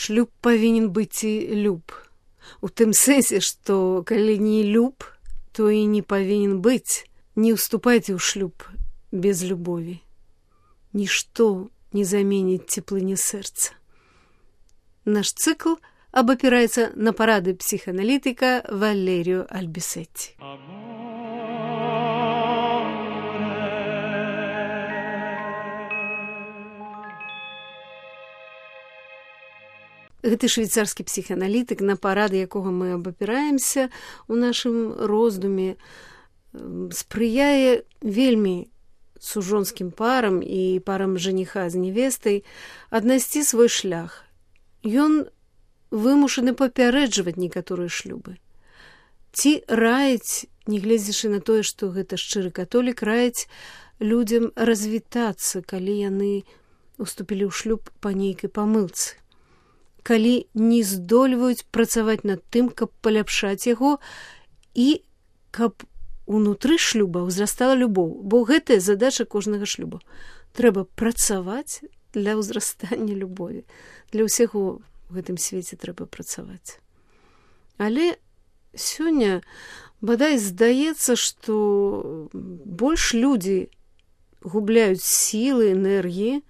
Шлюб павінен быць і люб. У тым сэнсе, што калі не люб, то і не павінен быць. Не ўступайце ў шлюб без любові. Нішто не заменіць цеплыні сэрца. Наш цыкл абапіраецца на парады псіхааналітыка Валеріо Альбісетці. Гэты швейцарскі псіхааналітык, на парады якога мы абапіраемся ў нашым роздуме, спрыяе вельмі сужонскім парам і парам жаніха з невестай аднайсці свой шлях. Ён вымушаны папярэджваць некаторыя шлюбы. Ці раіць, нягледзячы на тое, што гэта шчыры католік, раіць людзям развітацца, калі яны уступілі ў шлюб па нейкай памылцы. Калі не здольваюць працаваць над тым, каб паляпшаць яго і каб унутры шлюба ўзрастала любоў. Бо гэтая задача кожнага шлюба. Трэба працаваць для ўзрастання любові. Для ўсіх у гэтым свеце трэба працаваць. Але сёння, бадай, здаецца, што больш людзі губляюць сілы, энергіі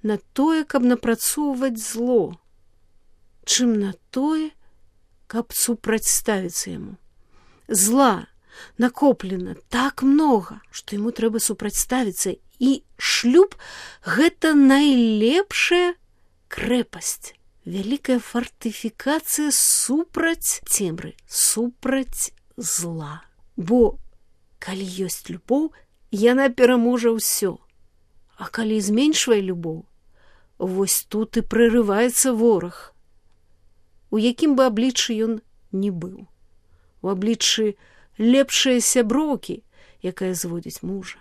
на тое, каб напрацоўваць зло, чым на тое, каб супрацьставіцца яму. Зла накоплена так многа, што яму трэба супрацьставіцца, і шлюб – гэта найлепшая крэпасць, вялікая фартыфікацыя супраць цемры, супраць зла. Бо калі ёсць любоў, яна пераможа ўсё. А калі зменшвае любоў, вось тут і прарываецца вораг. У якім бы абліччы ён не быў. У абліччы лепшай сяброўкі, якая зводзіць мужа.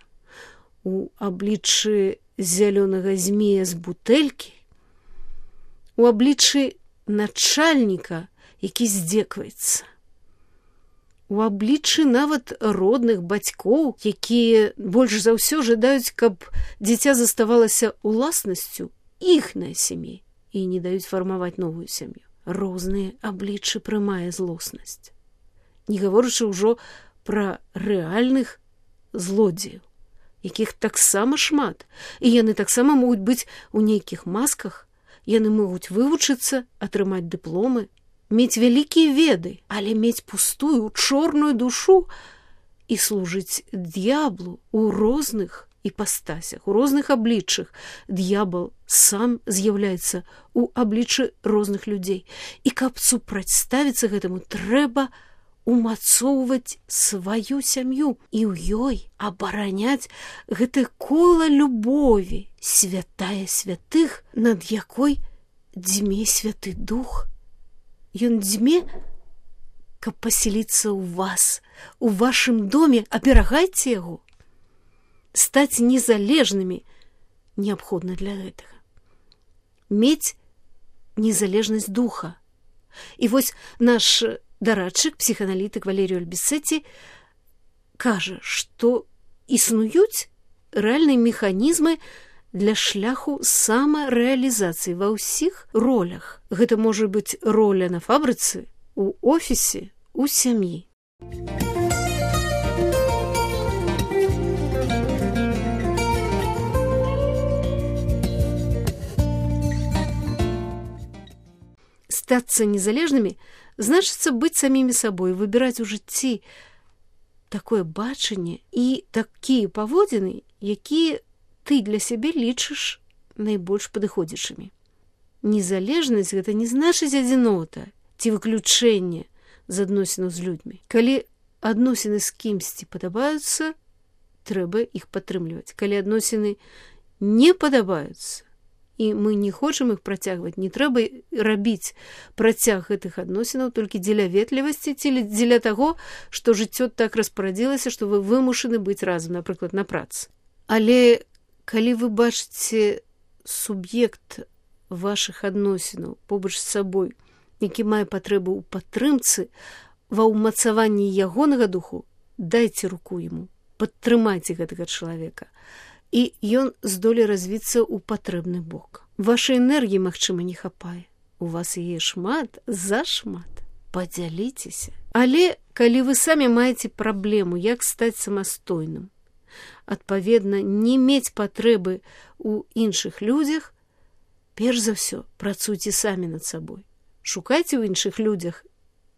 У абліччы зялёнага змея з бутэлькі. У абліччы начальніка, які здзекваецца. У абліччы нават родных бацькоў, якія больш за ўсё жадаюць, каб дзіця заставалася уласнасцю іхняй сям'і і не даюць фармаваць новую сям'ю. Розныя абліччы прымае злоснасць. Не гаворачы ўжо пра рэальных злодзеяў, якіх таксама шмат, і яны таксама могуць быць у нейкіх масках, яны могуць вывучыцца, атрымаць дыпломы, мець вялікія веды, але мець пустую, чорную душу і служыць д'яблу ў розных іпастасях, у розных абліччах. Д'ябал сам з'яўляецца ў абліччы розных людзей. І каб супрацьставіцца гэтаму, трэба умацоўваць сваю сям'ю і ў ёй абараняць гэтае кола любові, святая святых, над якой дзьме святы дух. Ён дзьме, каб паселіцца ў вас, у вашым доме, аберагайце яго. Стаць незалежнымі неабходна для гэтага. Мець незалежнасць духа. І вось наш дарадчык, псіхааналітык Валеріо Альбісетці кажа, што існуюць рэальныя механізмы для шляху самарэалізацыі ва ўсіх ролях. Гэта можа быць роля на фабрыцы, у офісе, у сям'і. Стацца незалежнымі значыцца быць самімі сабой, выбіраць у жыцці такое бачанне і такія паводзіны, якія ты для сябе лічыш найбольш падыходзячымі. Незалежнасць – гэта не значыць адзінота ці выключэнне з адносінаў з людзьмі. Калі адносіны з кімсьці падабаюцца, трэба іх падтрымліваць. Калі адносіны не падабаюцца, і мы не хочам іх працягваць, не трэба рабіць працяг гэтых адносінаў толькі дзеля ветлівасці ці дзеля таго, што жыццё так распарадзілася, што вы вымушаны быць разам, напрыклад, на працы. Але калі вы бачыце суб'ект вашых адносінаў побач з сабой, які мае патрэбу ў падтрымцы, ва ўмацаванні ягонага духу, дайце руку яму, падтрымайце гэтага чалавека. І ён здолее развіцца ў патрэбны бок. Вашай энергіі, магчыма, не хапае. у вас яе шмат, зашмат. Падзяліцеся. Але калі вы самі маеце праблему, як стаць самастойным, адпаведна, не мець патрэбы ў іншых людзях, перш за ўсё працуйце самі над сабой. Шукайце ў іншых людзях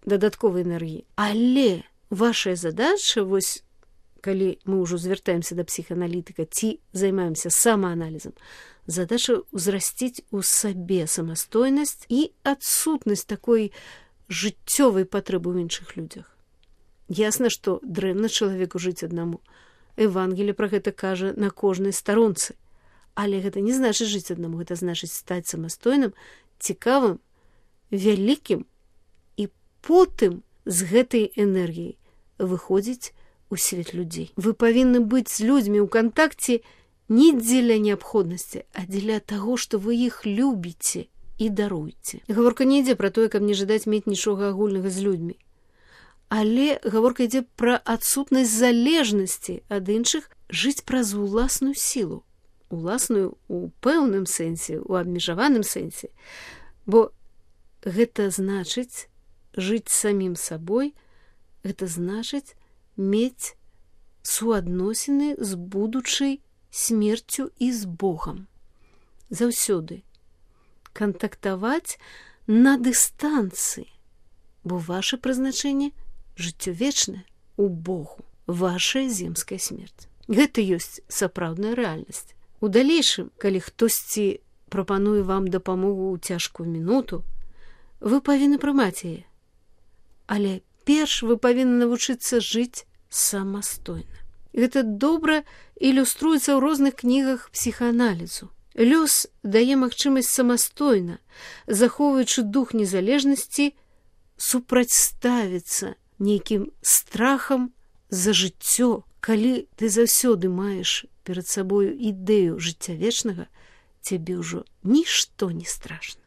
дадатковай энергіі. Але ваша задача, вось, калі мы ўжо звяртаемся да псіхааналітыка ці займаемся самааналізам, задача ўзрасціць у сабе самастойнасць і адсутнасць такой жыццёвай патрэбы ў іншых людзях. Ясна, што дрэнна чалавеку жыць аднаму. Евангелие пра гэта кажа на кожнай старонцы. Але гэта не значыць жыць аднаму, гэта значыць стаць самастойным, цікавым, вялікім і потым з гэтай энергіяй выходзіць у свет людзей. Вы павінны быць з людзьмі ў кантакце не дзеля неабходнасці, а дзеля таго, што вы іх любіце і даруйце. Гаворка не ідзе пра тое, каб не жадаць мець нічога агульнага з людзьмі. Але гаворка ідзе пра адсутнасць залежнасці ад іншых, жыць праз уласную сілу. Уласную у пэўным сэнсе, у абмежаваным сэнсе. Бо гэта значыць жыць самім сабой, гэта значыць мець суадносіны з будучай смерцю і з Богам. Заўсёды кантактаваць на дыстанцыі, бо ваше прызначэнне жыццё вечнае у Богу, вашая земская смерць. Гэта ёсць сапраўдная рэальнасць. У далейшым, калі хтосьці прапануе вам дапамогу ў цяжкую мінуту, вы павінны прымаць яе. Але перш вы павінны навучыцца жыць самастойна. Гэта добра ілюструецца ў розных кнігах псіхааналізу. Лёс дае магчымасць самастойна, захоўваючы дух незалежнасці, супрацьставіцца нейкім страхам за жыццё. Калі ты заўсёды маеш перад сабою ідэю жыцця вечнага, цябе ўжо нішто не страшна.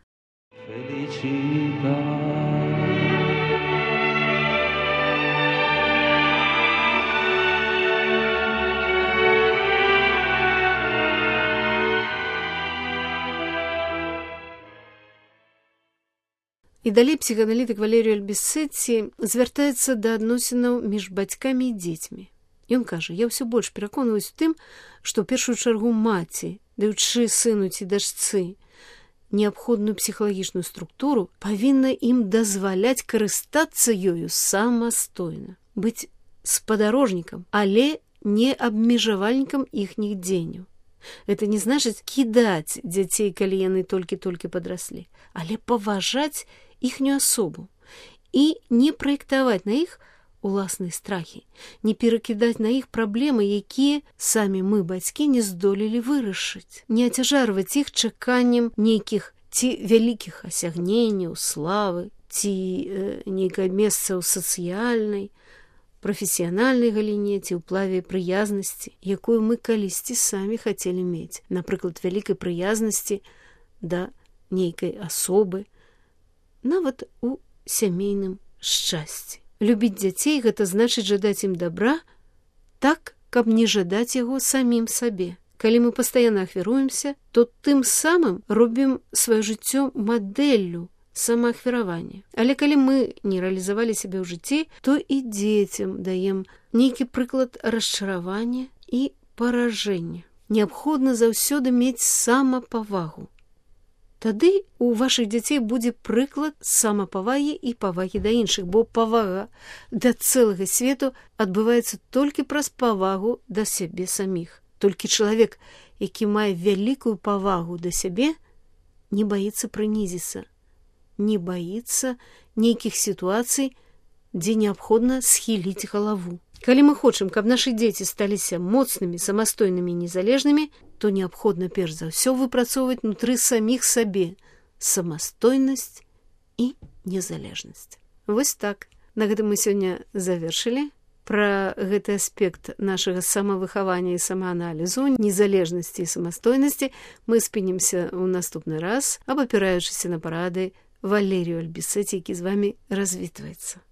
І далей псіхааналітык Валеріо Альбісетці звяртаецца да адносінаў між бацькамі і дзецьмі. Ён кажа, я ўсё больш пераконваюсь у тым, што ў першую чаргу маці, даючы сыну ці дачцы неабходную псіхалагічную структуру, павінна ім дазваляць карыстацца ёю самастойна, быць спадарожнікам, але не абмежавальнікам іхніх дзеянняў. Гэта не значыць кідаць дзяцей, калі яны толькі-толькі падраслі, але паважаць іхнюю асобу і не праектаваць на іх уласныя страхі, не перакідаць на іх праблемы, якія самі мы, бацькі, не здолелі вырашыць, не ацяжарваць іх чаканнем нейкіх ці вялікіх асягненняў, славы, ці нейкае месца ў сацыяльнай, прафесіянальнай галіне ці ўплаве прыязнасці, якую мы калісьці самі хацелі мець, напрыклад, вялікай прыязнасці да нейкай асобы, нават у сямейным шчасці. Любіць дзяцей – гэта значыць жадаць ім добра так, каб не жадаць яго самім сабе. Калі мы пастаянна ахвяруемся, то тым самым робім сваё жыццё мадэллю самаахвяравання. Але калі мы не рэалізавалі сябе ў жыцці, то і дзецям даем нейкі прыклад расчаравання і паражэння. Неабходна заўсёды мець самапавагу. Тады у вашых дзяцей будзе прыклад самапавагі і павагі да іншых, бо павага да цэлага свету адбываецца толькі праз павагу да сябе саміх. Толькі чалавек, які мае вялікую павагу да сябе, не баіцца прынізіцца, не баіцца нейкіх сітуацый, дзе неабходна схіліць галаву. Калі мы хочам, каб нашы дзеці сталіся моцнымі, самастойнымі і незалежнымі, то неабходна перш за ўсё выпрацоўваць внутры саміх сабе самастойнасць і незалежнасць. Вось так. На гэтым мы сёння завершылі. Пра гэты аспект нашага самавыхавання і самааналізу, незалежнасці і самастойнасці мы спынімся ў наступны раз, абапіраючыся на парады Валеріо Альбісетці, які з вамі развітваецца.